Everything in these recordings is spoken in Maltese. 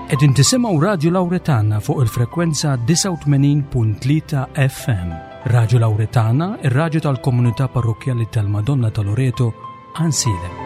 Qegħdin tisimgħu Radju Lawretana fuq il-frekwenza 89.3 FM. Radju Lawretana, ir-radju tal-komunità parrokkjali tal-Madonna ta' Loreto, Għansielem.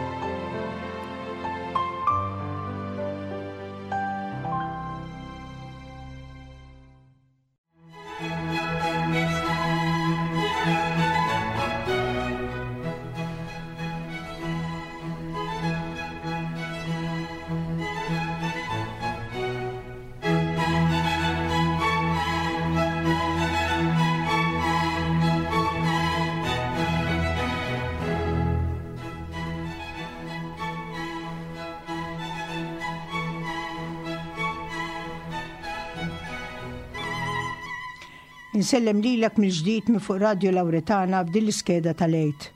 Insellem lilek mill-ġdid minn fuq Radio Lawretana f'din l-iskeda tal-Għid.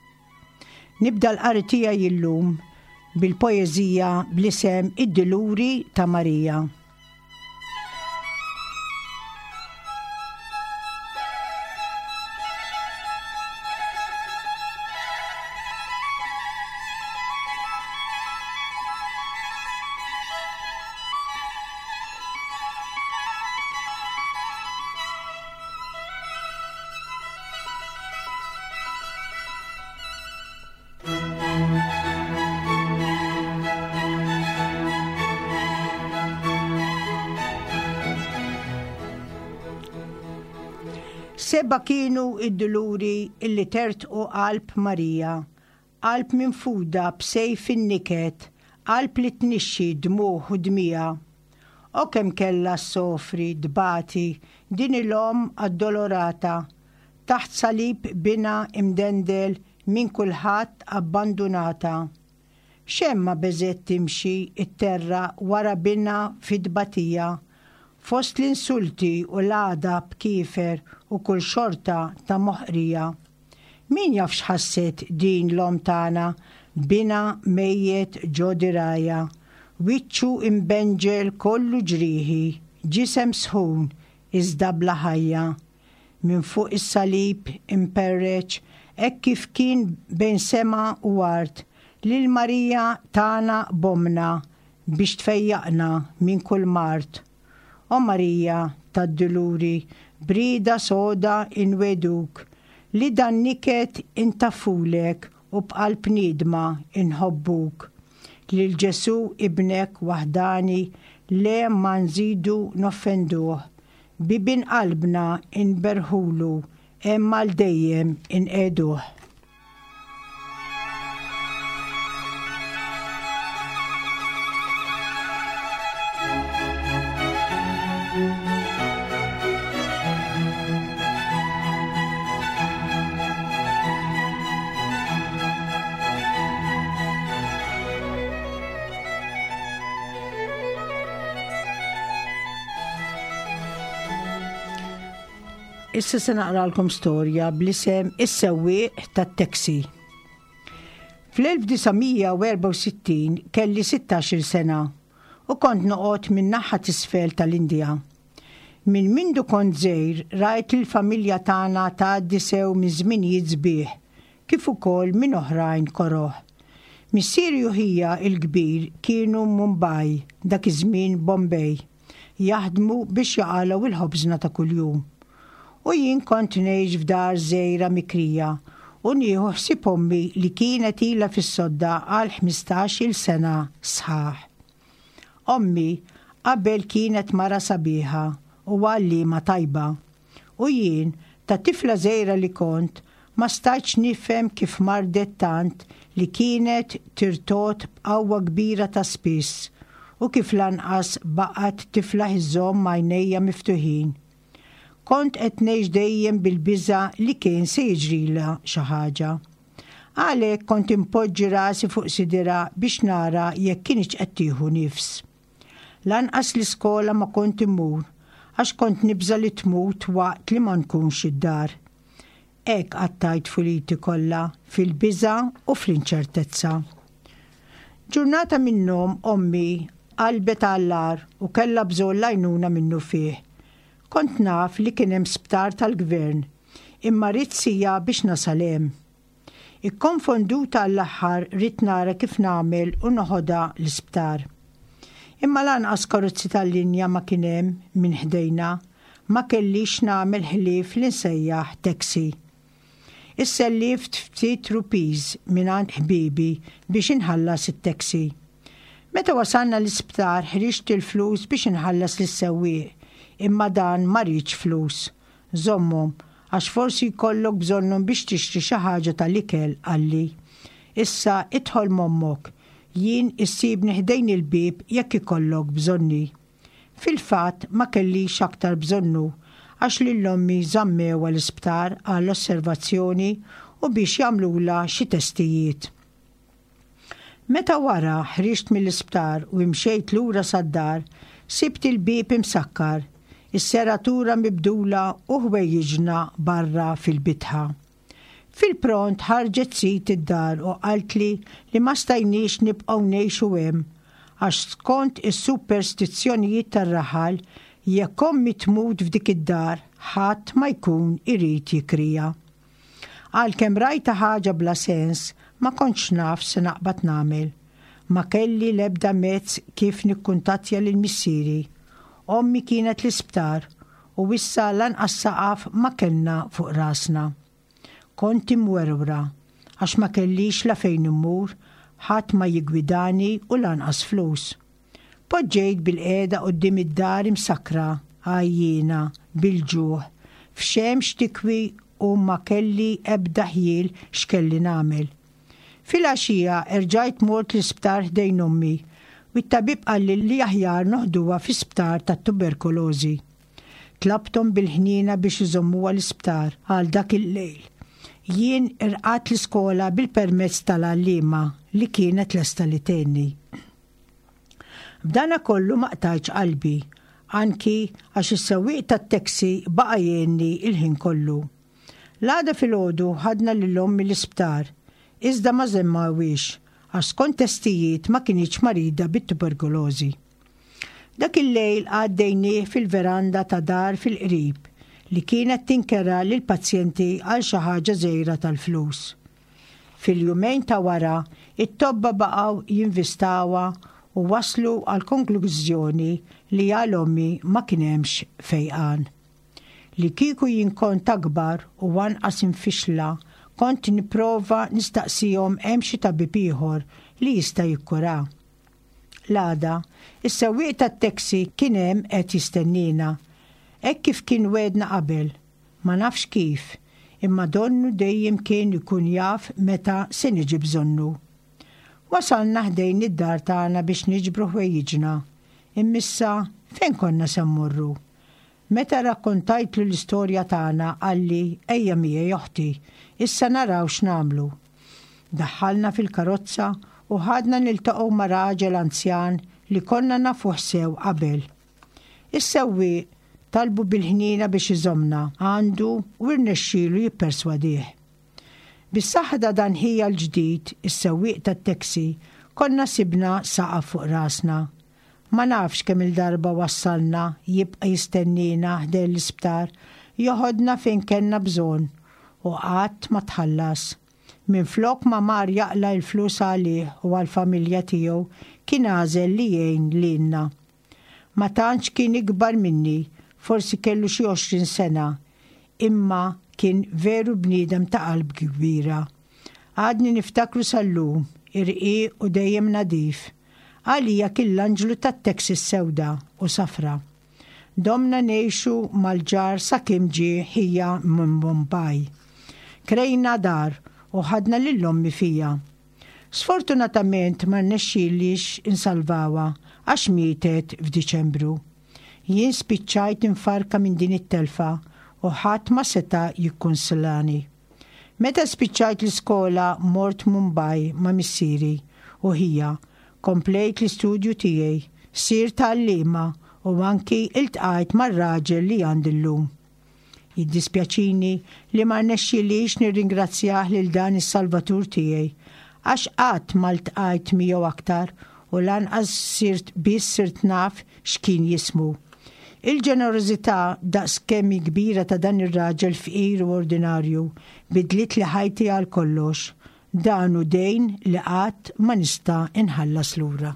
Nibda l-qari tiegħi illum bil-poeżija bl-isem Id-Duluri ta' Marija. Seba kienu id-duluri illi tertqu qalb Marija, qalb minfuda b'sejf in-niket, qalb li tnixxi dmugħ u dmija. O kemm kellha ssofri, tbati, din il-Omm addolorata, taħt salib binha imdendel minn kulħadd abbandunata. X'hemm ma beżgħet timxi t-terra wara binha fit-tbatija, fost l-insulti u l-għadab kiefer u kull xorta ta' moħqrija. Min jaf x'ħasset din l-omm tagħna b'binha mejjet ġo dirgħajha, wiċċu imbenġel kollu ġrieħi, ġisem sħun iżda bla ħajja. Minn fuq is-salib imperreċ hekk kif kien bejn sema u art, lil Marija tagħna b'ommna biex tfejjaqna minn kull mard. O Marija tad-Duluri, b'rieda soda inwegħduk li dan niket intaffulek u b'qalb niedma inħobbuk. Lil Ġesù Ibnek waħdani le ma nżidu noffenduh, bibien qalbna inberrħulu hemm għal dejjem inqiegħduh. Issa se naqralkom storja bl-isem Is-sewwieq tat-taxi. Fl-1964 kelli 16-il sena u kont noqgħod min-naħa t'isfel tal-Indja. Minn mindu kont żgħir rajt lill-familja tagħna tgħaddi sew minn żminijiet sbieħ kif ukoll minn oħrajn koroh. Missieri u ħija l-kbir kienu Mumbai, dak iż-żmien Bombay. jaħdmu biex jaqalgħu il-ħobżna ta' kuljum. U jien kont ngħix f'dar żgħira mikrija u nieħu ħsieb ommi li kienet ilha fis-sodda għal ħmistax-il sena sħaħ. Ommi qabel kienet mara sabiħa u għalliema tajba. U jien, ta' tifla żgħira li kont, ma stajtx nifhem kif mardet tant li kienet tirtogħod b'qawwa kbira ta' spiss u kif lanqas baqgħet tiflaħ iżżomm għajnejha miftuħin. Kont qed ngħix dejjem bil-biża' li kien se jiġrilha xi ħaġa. Għalhekk kont inpoġġi rasi fuq sidirha biex nara jekk kinitx qed tieħu nifs. Lanqas l-iskola ma kont immur għax kont nibża' li tmut waqt li ma nkunx id-dar. Hekk qattajt tfuliti kollha fil-biża' u fl-inċertezza. Ġurnata minnhom ommi qalbet għall-agħar u kellha bżonn l-għajnuna minnufih. Kont naf li kien hemm sptar tal-gvern, imma ridt siegħa biex nasal hemm. Ikkonfonduta għall-aħħar ridt nara kif nagħmel u noħodha l-isptar. Imma lanqas karozzi tal-linja ma kien hemm minn ħdejna. Ma kellix x'nagħmel ħlief li nsejjaħ taxi. Issellift ftit rupees mingħand ħbiebi biex inħallas it-taxi. Meta wasalna l-isptar ħriġt il-flus biex inħallas lis-sewwieq, imma dan ma riedx flus. Żommhom, għax forsi jkollok bżonnhom biex tixtri xi ħaġa tal-ikel, qalli. Issa idħol m'ommok. Jien issibni ħdejn il-bieb jekk ikollok bżonni. Fil-fatt ma kellix aktar bżonnu għax lil ommi żammewha l-isptar għal osservazzjoni u biex jagħmlulha xi testijiet. Meta wara ħriġt mill-isptar u imxejt lura sad-dar, sibt il-bieb imsakkar, is-seratura mibdula u ħwejjiġna barra fil-bitħa. Fil-pront ħarġet sid id-dar u qaltli li ma stajniex nibqgħu ngħixu hemm għax skont is-superstizzjonijiet tar-raħal jekk ommi tmut f'dik id-dar ħadd ma jkun irid jikriha. Għalkemm rajtha ħaġa bla sens, ma kontx naf x'se naqbad nagħmel. Ma kelli l-ebda mezz kif nikkuntattja lil missieri. Ommi kienet l-isptar u issa lanqas saqaf ma kellna fuq rasna. Kont imwerwra għax ma kellix la fejn immur, ħadd ma jiggwidani u lanqas flus. Poġġejt bilqiegħda quddiem id-dar imsakkra, għajjiena, bil-ġuħ, f'xemx tikwi u ma kelli ebda ħjiel x'kelli nagħmel. Filgħaxija erġajt mort l-isptar ħdejn ommi u t-tabib qalli li aħjar noħduha fi sptar tat-tuberkulożi. Tlabthom bil-ħniena biex iżommuha l-isptar għal dak il-lejl. Jien irqadt l-iskola bil-permezz tal-għalliema li kienet lesta li tgħinni. B'dana kollu ma qtajtx qalbi, anki għax is-sewwieq tat-taxi baqa' jgħinni l-ħin kollu. L-għada filgħodu ħadna lil ommi l-isptar, iżda ma żemmawhiex għax skont testijiet ma kinitx marida bit-tuberkulożi. Dak il-lejl għaddejnieh fil-veranda ta' dar fil-qrib li kienet tinkera lill-pazjenti għal xi ħaġa żgħira tal-flus. Fil-jumejn ta' wara, it-tobba baqgħu jinvistawha u waslu għall-konklużjoni li għal ommi ma kien hemmx fejqan. Li kieku jien kont akbar u anqas imfixla kont nipprova nistaqsihom hemm xi tabib ieħor li jista' jikkura. L-għada, is-sewwieq tat-taxi kien hemm qed jistenniena. Hekk kif kien wegħdna qabel. Ma nafx kif, imma donnu dejjem kien ikun jaf meta se niġi bżonnu. Wasalna ħdejn id-dar tagħna biex niġbru ħwejjiġna. Immissa fejn konna se mmorru? Meta rrakkontajtlu l-istorja tagħna qalli ejja miegħi oħti, issa naraw x'nagħmlu. Daħħalna fil-karozza u ħadna niltaqgħu ma' raġel anzjan li konna nafuh sew qabel. Is-sewwieq talbu bil-ħniena biex iżommna għandu u rnexxielu jipperswadih. Bis-saħħa ta' dan ħija l-ġdid, is-sewwieq tat-taxi, konna sibna saqaf fuq rasna. Ma nafx kemm-il darba wassalna jibqa' jistenniena ħdejn l-isptar, joħodna fejn kellna bżonn u qatt ma tħallas. Minflok ma mar jaqla' l-flus għalih u għall-familja tiegħu kien għażel li jgħin lilna. Ma tantx kien ikbar minni, forsi kellu xi 20 sena, imma kien veru bniedem ta' qalb kbira. Għadni niftakru sal-lum, irqiq u dejjem nadif. Għalija kien l-anġlu tat-taxi sewda u safra. Domna ngħixu mal-ġar sakemm ġie ħija minn Bombay. Krejna dar u ħadna lil ommi fiha. Sfortunatament ma rnexxielix insalvawha għax mietet f'Diċembru. Jien spiċċajt imfarrka minn din it-telfa u ħadd ma seta' jikkunsilani. Meta spiċċajt l-iskola mort Mumbai ma' missieri u ħija, komplejt l-istudju tiegħi, sirt għalliema u anki iltqajt mar-raġel li għandi llum. Jiddispjaċini li ma rnexxilix nirringrazzjah lil dan is-Salvatur tiegħi għax qatt ma ltqajt miegħu aktar u lanqas sirt biss sirt naf x'kien jismu. Il-ġenerożità daqs kemm hi kbira ta' dan ir-raġel fqir u ordinarju bidlitli ħajti għal kollox. Dan hu dejn li qatt ma nista' nħallas lura.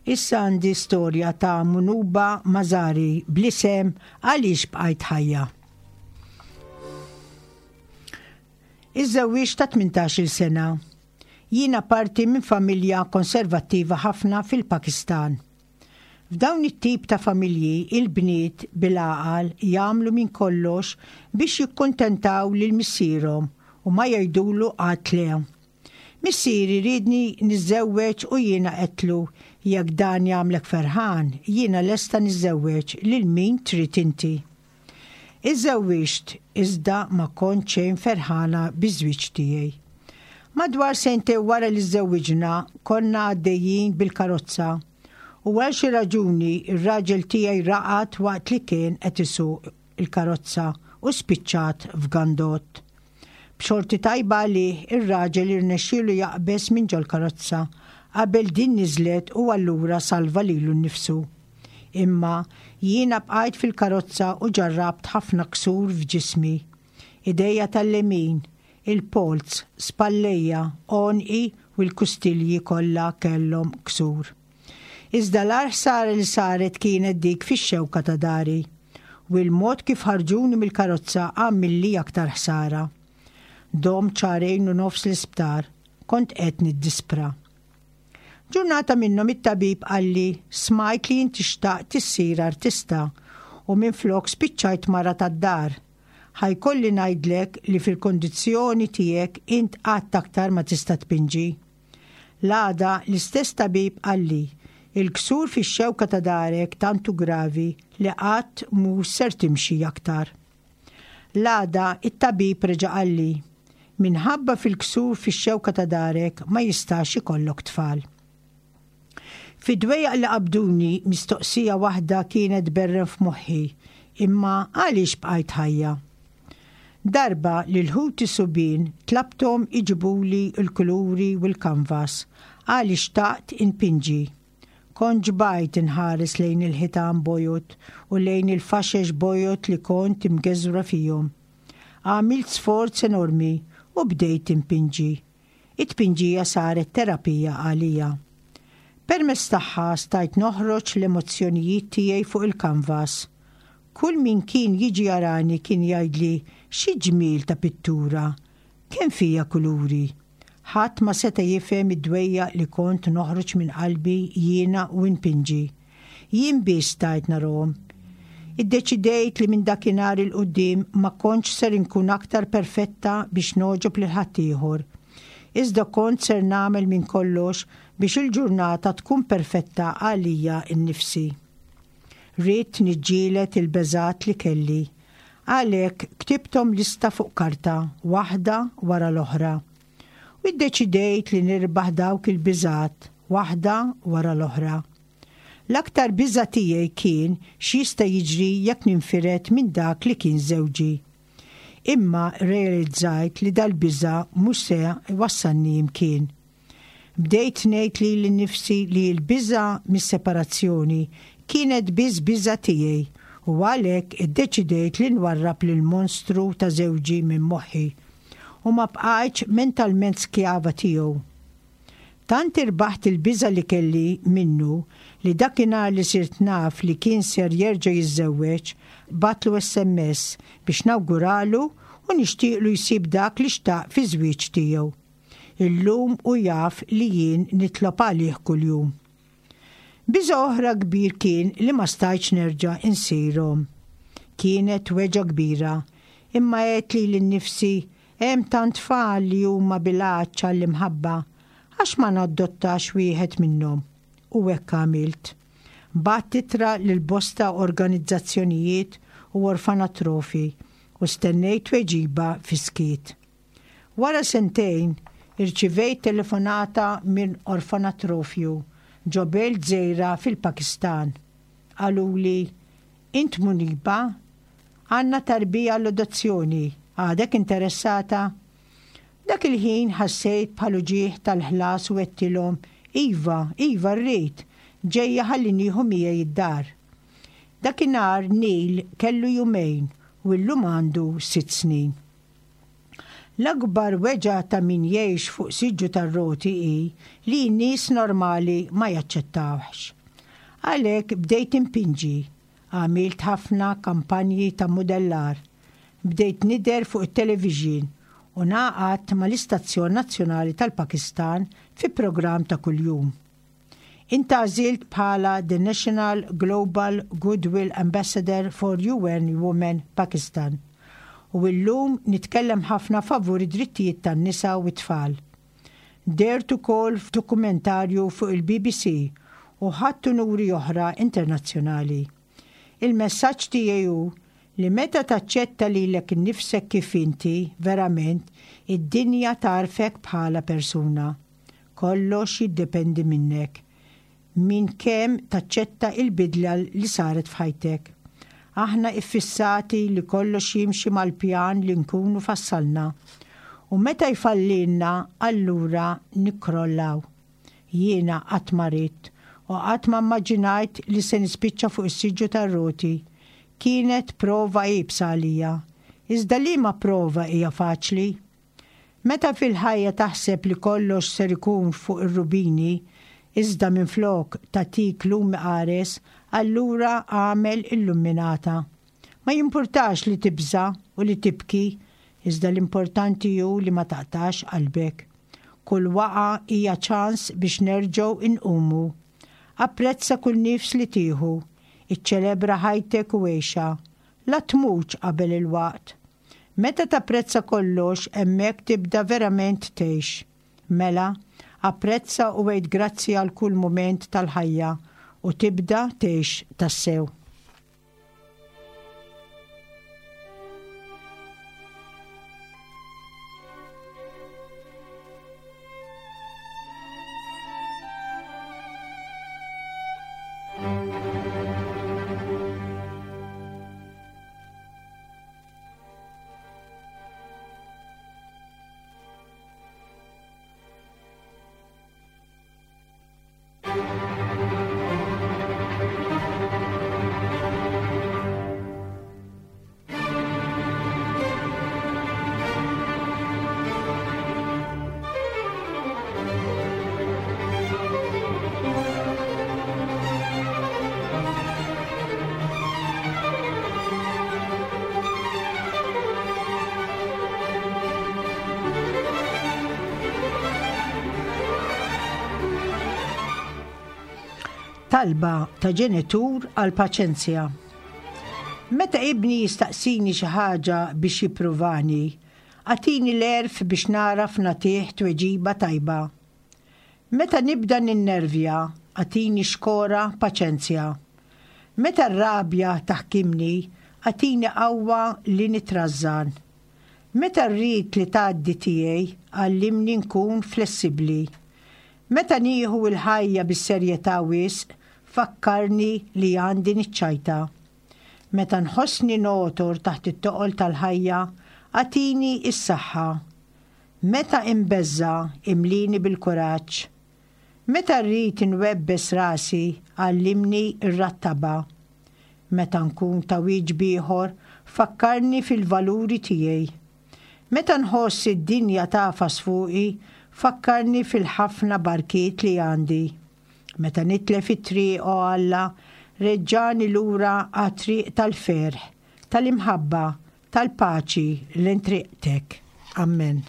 Issa għandi storja ta' Munuba Mazari bl-isem Għaliex bqajt ħajja. Iżżewwiġt ta' 18-il sena. Jiena parti minn familja konservattiva ħafna fil-Pakistan. F'dawn it-tip ta' familji il-bniet bil-għaqal jagħmlu minn kollox biex jikkuntentaw lil missierhom u ma jgħidulu qatt le. Missieri riedni niżżewweġ u jiena għedtlu jekk dan jagħmlek ferħan jiena lesta niżżewweġ lil min trid inti. Iżżewwiġt iżda ma kont xejn ferħana biż-żwieġ tiegħi. Madwar sentejn wara li żżewwiġna konna għaddejjin bil-karozza u għal xi raġuni r-raġel tiegħi raqad waqt li kien qed isuq il-karozza u spiċċat f'gandott. B'xorti tajba għalih ir-raġel irnexxielu jaqbeż minn ġol-karozza qabel din niżlet u allura salva lilu nnifsu. Imma jiena bqajt fil-karozza u ġarrabt ħafna ksur f'ġismi. Idejja tal-lemin, il-polz, spallejja, għonqi u l-kustilji kollha kellhom ksur. Iżda l-agħar ħsara li saret kienet dik fix-xewka ta' dari. U l-mod kif ħarġuni mill-karozza għamilli aktar ħsara. Domt xahrejn u nofs l-isptar, kont qed niddispra. Ġurnata minnhom it-tabib qalli smajt li inti xtaqt issir artista u minflok spiċċajt mara tad-dar. Ħa jkolli ngħidlek li fil-kundizzjoni tiegħek int qatt aktar ma tista' tpinġi. L-għada l-istess tabib qalli il-ksur fix-xewka ta' darek tant hu gravi li qatt mhux ser timxi aktar. L-għada it-tabib reġa' qalli, Minħabba fil-ksur fix-xewka ta' darek ma jistax ikollok tfal. Fid-dwejjaq li qabduni mistoqsija waħda kienet tberren f'moħħi, imma għaliex bqajt ħajja? Darba lil ħuti subien tlabthom iġibuli l-kuluri u l-kanvas għaliex xtaqt inpinġi. Kont ġbajt inħares lejn il-ħitan bojod u lejn il-faxex bojod li kont imgeżwra fihom. Għamilt sforz enormi u bdejt inpinġi. It-tpinġija saret terapija għalija. Permezz tagħha stajt noħroġ l-emozzjonijiet tiegħi fuq il-kanvas. Kull min kien jiġi jarani kien jgħidli xi ġmiel ta' pittura! Kemm fiha kuluri! Ħadd ma seta' jifhem id-dwejjaq li kont noħroġ minn qalbi jiena u npinġi. Jien biss stajt narahom. Iddeċidejt li minn dakinhar 'il quddiem ma kontx ser inkun aktar perfetta biex nogħġob lil ħaddieħor. Iżda kont ser nagħmel minn kollox biex il-ġurnata tkun perfetta għalija nnifsi. Ridt niġġieled il-beżgħat li kelli. Għalhekk ktibthom lista fuq karta, waħda wara l-oħra. U iddeċidejt li nirbaħ dawk il-biżgħat, waħda wara l-oħra. L-aktar biża' tiegħi kien x'jista' jiġri jekk ninfired minn dak li kien żewġi. Imma rrealizzajt li dal-biża' mhux se jwassalni imkien. Bdejt ngħid lili nnifsi li l-biża' mis-separazzjoni kienet biss biża' tiegħi u għalhekk iddeċidejt li nwarrab lill-monstru ta' żewġi minn moħħi u ma bqajtx mentalment skjava tiegħu. Tant irbaħt il-biża' li kelli minnu li dakinhar li sirt naf li kien ser jerġa' jiżżewweġ, bgħattlu SMS biex nawguralu u nixtieqlu jsib dak li xtaq fiż-żwieġ tiegħu. Illum hu jaf li jien nitlob għalih kuljum. Biża' oħra kbir kien li ma stajtx nerġa' insir omm. Kienet weġgħa kbira, imma għedt lili nnifsi hemm tant tfal li huma bil-għatx għall-imħabba, għax ma nadottax wieħed minnhom? U hekk għamilt. Bgħatt ittra lil bosta organizzazzjonijiet u orfanatrofi u stennejt tweġiba fis-skiet. Wara sentejn, irċivejt telefonata minn orfanatrofju ġo belt żgħira fil-Pakistan. Qaluli, Int Muniba? Għandna tarbija għall-adozzjoni, għadek interessata? Dak il-ħin ħassejt bħal uġigħ tal-ħlas u għedtilhom, Iva, iva rrid, ġejja ħalli nieħu miegħi d-dar. Dakinhar Neil kellu jumejn u llum għandu sitt snin. L-akbar weġgħa ta' min jgħix fuq siġġu tar-roti hi li n-nies normali ma jaċċettawhx. Għalhekk bdejt inpinġi. Għamilt ħafna kampanji ta' mudellar. Bdejt nidher fuq it-televixin u ngħaqadt mal-istazzjon nazzjonali tal-Pakistan fi programm ta' kuljum. Intgħażilt bħala The National Global Goodwill Ambassador for UN Women Pakistan u illum nitkellem ħafna favur id-drittijiet tan-nisa u t-tfal. Dehrt ukoll f'dokumentarju fuq il-BBC u ħadt unuri oħra internazzjonali. Il-messaġġ tiegħi hu li meta taċċetta lilek innifsek kif inti verament, id-dinja tagħrfek bħala persuna. Kollox jiddependi minnek. Minn kemm taċċetta il-bidla li saret f'ħajtek. Aħna iffissati li kollox jimxi mal-pjan li nkunu fassalna. U meta jfallilna allura nikkrollaw. Jiena qatt ma ridt u qatt ma mmaġinajt li se nispiċċa fuq is-siġġu tar-roti. Kienet prova iebsa għalija. Iżda liema prova hija faċli? Meta fil-ħajja taħseb li kollox ser ikun fuq ir-rubini, iżda minflok tagħtik lumi qares, allura agħmel illumminata. Ma jimpurtax li tibża' u li tibki, iżda l-importanti hu li ma taqtax qalbek. Kull waqgħa hija ċans biex nerġgħu inqumu. Apprezza kull nifs li tieħu. Iċċelebra ħajtek u għixha. La tmutx qabel il-waqt. Meta tapprezza kollox hemmhekk tibda verament tgħix. Mela, apprezza u għid grazzi għal kull mument tal-ħajja u tibda tgħix tassew. Talba ta' ġenitur għal paċenzja. Meta ibni jistaqsini xi ħaġa biex jippruvani, agħtini l-għerf biex nagħraf nagħtih tweġiba tajba. Meta nibda ninnervja, agħtini xkora paċenzja. Meta r-rabja taħkimni, agħtini qawwa li nitrażżan. Meta rrid li tgħaddi tiegħi, għallimni nkun flessibbli. Meta nieħu l-ħajja bis-serjetà wisq, fakkarni li għandi niċċajta. Meta nħossni nogħtor taħt it-toqol tal-ħajja, agħtini s-saħħa. Meta imbeżża' imlini bil-kuraġġ. Meta rrid inwebbes rasi għallimni rrattabha. Meta nkun ta' wieġb ieħor fakkarni fil-valuri tiegħi. Meta nħoss id-dinja tagħfas fuqi fakkarni fil-ħafna barkiet li għandi. Meta nitlef it-triq o Alla reġġagħni lura għat-triq tal-ferħ, tal-imħabba, Tal-paċi lejn triqtek. Ammen.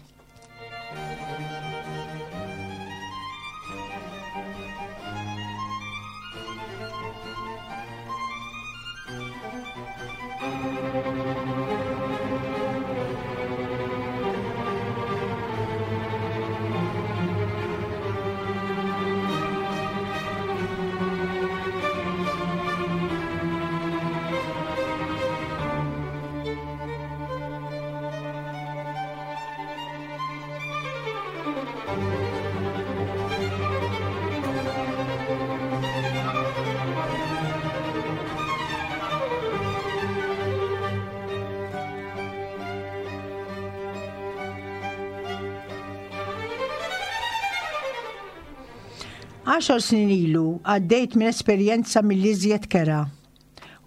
Għaxar snin ilu għaddejt minn esperjenza mill-iżjed kerha.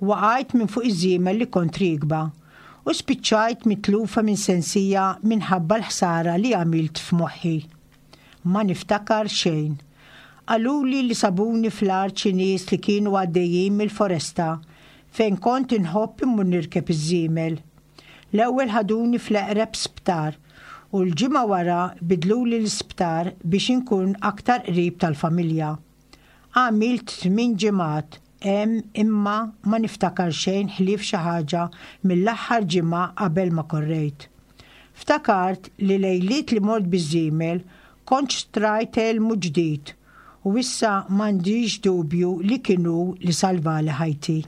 Waqajt minn fuq iż-żiemel li kont riekba u spiċċajt mitlufa minn sensija minħabba l-ħsara li għamilt f'moħħi. Ma niftakar xejn. Qaluli li sabuni fl-art xi nies li kienu għaddejjin mill-foresta fejn kont inħobb immur nirkeb iż-żiemel. L-ewwel ħaduni fl-eqreb sptar u l-ġimgħa wara bidluli l-isptar biex inkun aktar qrib tal-familja. Għamilt tminn ġimgħat hemm imma ma niftakar xejn ħlief xi ħaġa mill-aħħar ġimgħa qabel ma korrejt. Ftakart li lejliet li mort biż-żiemel kont xtrajt elmu ġdid u issa m'għandix dubju li kien hu li salvali ħajti.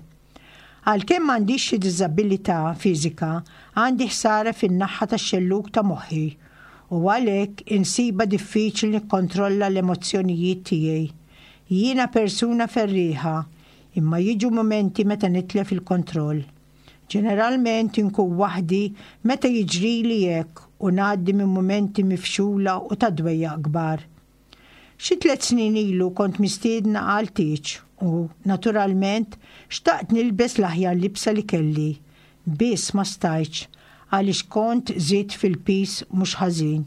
Għalkemm m'għandix xi diżabilità fiżika, għandi ħsara fin-naħa tax-xellug ta' moħħi u għalhekk insibha diffiċli nikkontrolla l-emozzjonijiet tiegħi. Jiena persuna ferrieħa, imma jiġu mumenti meta nitlef il-kontroll. Ġeneralment inkun waħdi meta jiġrili hekk u ngħaddi minn mumenti mifxula u ta' dwejjaq kbar. Xi tlett snin ilu kont mistiedna għal tieġ u, naturalment, xtaqt nilbes l-aħjar libsa li kelli. Biss ma stajtx għaliex kont żidt fil-piż mhux ħażin.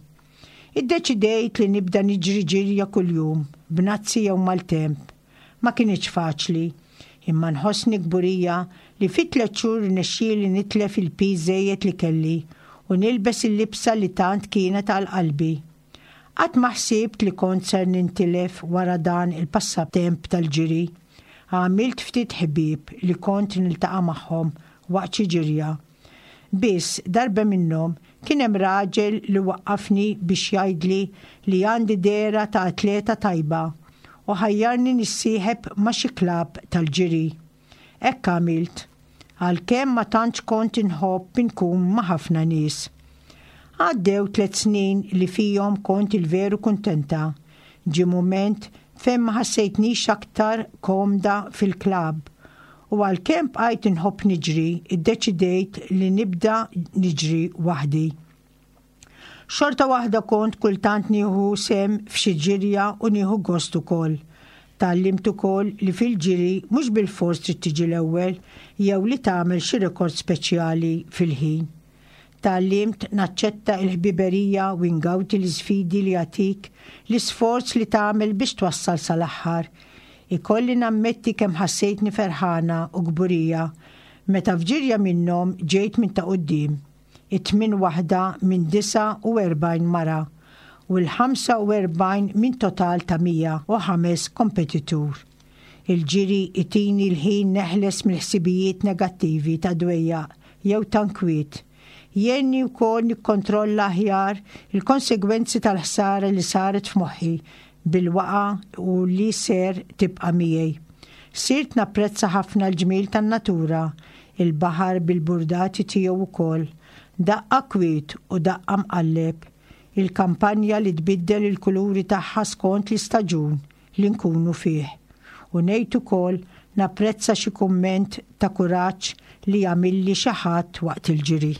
Iddeċidejt li nibda niġri ġirja kuljum, b'nazzi jew maltemp. Ma kinitx faċli, imma nħossni kburija li fi tlett xhur rnexxieli nitlef il-piż żejjed li kelli u nilbes il-libsa li tant kienet għal qalbi. Qatt ma ħsibt li kont ser nintilef wara dan il-passatemp tal-ġiri. Għamilt ftit ħbieb li kont niltaqa' magħhom waqt xi ġirja. Biss, darba minnhom, kien hemm raġel li waqqafni biex jgħidli li għandi dehra ta' atleta tajba u ħajjarni nissieħeb ma' xi klabb tal-ġiri. Hekk għamilt, għalkemm ma tantx kont inħobb inkun ma' ħafna nies. Għaddew tlett snin li fihom kont il-veru kuntenta. Ġie mument fejn ma ħassejtnix aktar komda fil-klabb u għalkemm bqajt inħobb niġri, iddeċidejt li nibda niġri waħdi. Xorta waħda kont kultant nieħu sehem f'xi ġirja u nieħu gost ukoll. Tgħallimt ukoll li fil-ġiri mhux bilfors trid tiġi l-ewwel jew li tagħmel xi rekord speċjali fil-ħin. Tgħallimt naċċetta l-ħbiberija u ngawdi l-isfidi li jagħtik l-isforz li tagħmel biex twassal sal-aħħar. Ikolli nammetti kemm ħassejtni ferħana u kburija meta f'ġirja minnhom ġejt minn ta' quddiem, it-tmien waħda minn 49 mara u l-45 minn total ta' 105 kompetitur. Il-ġiri jtini l-ħin neħles mill-ħsibijiet negattivi ta' dwejjaq jew ta' nkwiet. Jgħinni wkoll nikkontrolla aħjar il-konsegwenzi tal-ħsara li saret f'moħħi bil-waqgħa u li ser tibqa' miegħi. Sirt napprezza ħafna l-ġmiel tan-natura, il-baħar bil-burdati tiegħu wkoll, daqqa kwiet u daqqa mqalleb, il-kampanja li tbiddel il-kuluri tagħha skont l-istaġun li nkunu fih. U ngħid ukoll napprezza xi kumment ta' kuraġġ li jagħmilli xi ħadd waqt il-ġiri.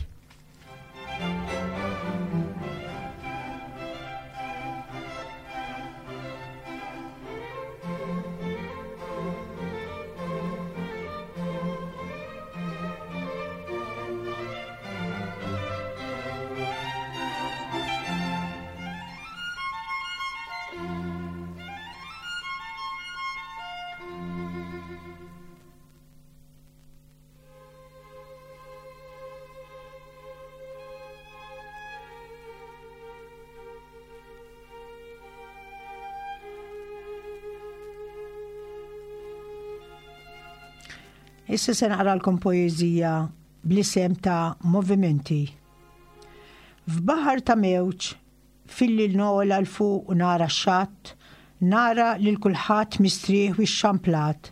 Issa se naqralkom poeżija bl-isem ta' Movimenti. F'baħar ta' mewġ Filli nogħla 'l fuq u nara x-xatt, nara lil kulħadd mistrieħ u xxamplat.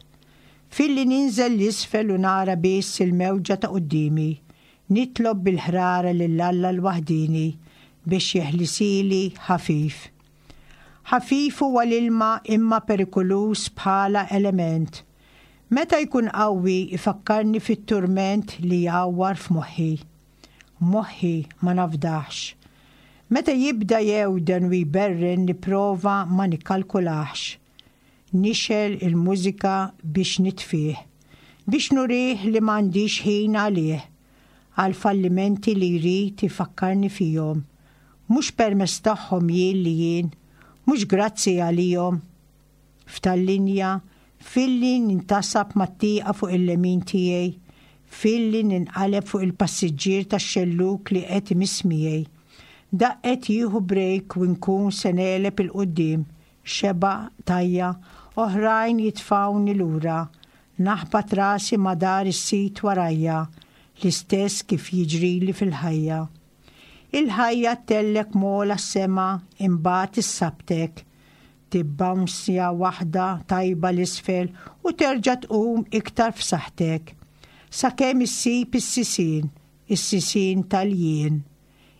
Filli ninżel 'l isfel u nara biss il-mewġa ta' quddiemi, nitlob bil-ħrara lil Alla l-waħdieni biex jeħlisili ħafif. Ħafif huwa l-ilma imma perikoluż bħala element. Meta jkun qawwi jfakkarni fit-turment li jgħawwar f'moħħi. Moħħi ma nafdahx. Meta jibda jewden u jberren nipprova ma nikkalkulahx. Nixgħel il-mużika biex nitfih. Biex nurih li m'għandix ħin għalih. Għall-fallimenti li jrid ifakkarni fihom. Mhux permezz tagħhom jien li jien. Mhux grazzi għalihom. F'tal-linja, filli nintasab mat-tieqa fuq il-lemin tiegħi, filli ninqaleb fuq il-passiġġier tax-xellug li qed imiss miegħi. Daqqet jieħu brejk u nkun se negħleb 'il quddiem, xebgħa, tajja, oħrajn jitfgħuni lura, naħbat rasi ma' dar is-sit warajja, l-istess kif jiġrili fil-ħajja. Il-ħajja ttellgħek m'ogħla s-sema imbagħad issabtek. Tibbawnsja waħda tajba 'l isfel u terġa' tqum iktar f'saħħtek. Sakemm issib is-sisien, is-sisien tal-jien.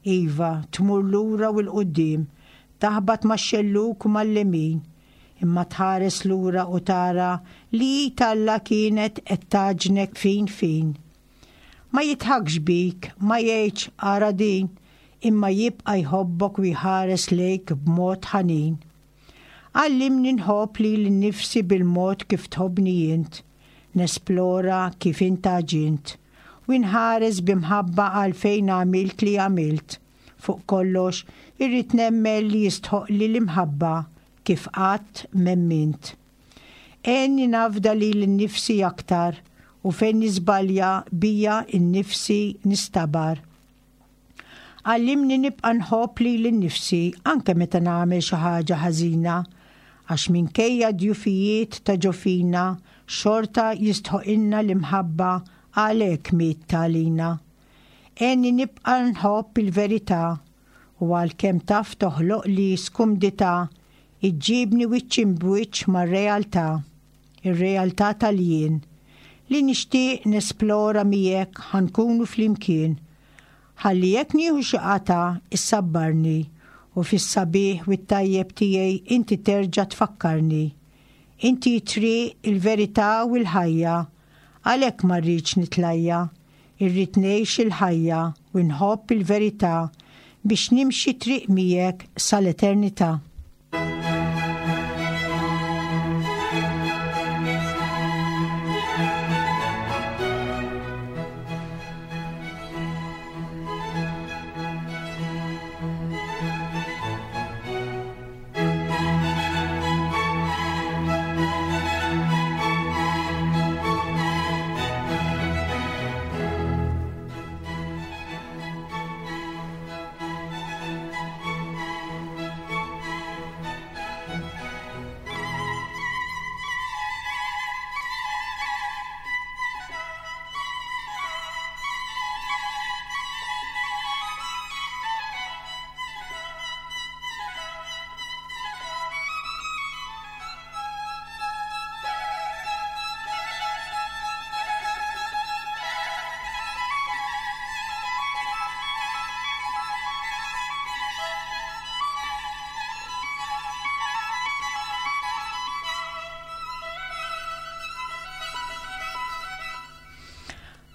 Iva, tmur lura u 'l quddiem, taħbat max-xellug u mal-lemin, imma tħares lura u tara li id Alla kienet qed tgħaġġnek fin fin. Ma jidħakx bik, ma jgħidx ara din, imma jibqa' jħobbok u jħares lejk b'mod ħanin. Għallimni nħobb lili nnifsi bil-mod kif tħobbni int, nesplora kif int għaġint, u nħares bi mħabba għalfejn għamilt li għamilt. Fuq kollox, irrid nemmen li jistħoqqli l-imħabba kif qatt m'emmint. Għenni nafda lili nnifsi aktar u fejn niżbalja bija nnifsi nistabar. Għallimni nibqa' nħobb lili nnifsi anke meta nagħmel xi ħaġa ħażina, għax minkejja d-djufijiet ta' ġo fina xorta jistħoqilna l-imħabba għalhekk miet għalina. Għenni nibqa' nħobb il-verità u għalkemm taf toħloqli skumdità Iġġibni wiċċ imb'wiċċ mar-realtà, ir-realtà tal-jien, li nixtieq nesplora miegħek ħa nkunu flimkien. Ħalli jekk nieħu xi qatgħa issabbarni u fis-sabiħ u t-tajjeb tiegħi inti terġa' tfakkarni. Inti t-triq, il-verità u l-ħajja, għalhekk ma rridx nitlajja. Irrid ngħix il-ħajja u nħobb il-verità biex nimxi triq miegħek sal-eternità.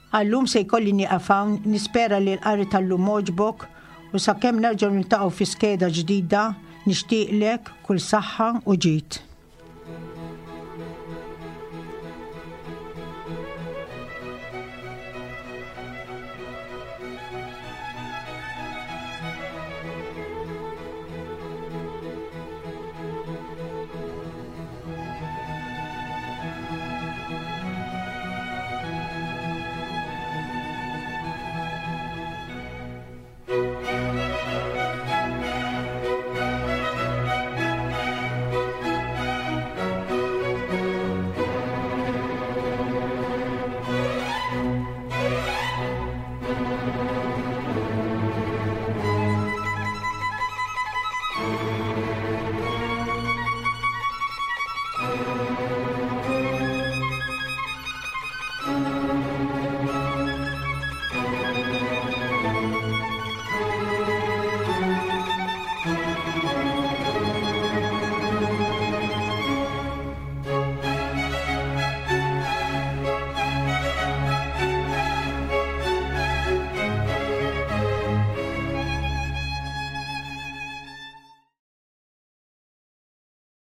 Għallum se jkolli nieqaf hawn, nispera li l-qari tal-lum għoġbok u sakemm nerġgħu niltaqgħu fi skeda ġdida, nixtieqlek kull saħħa u ġid.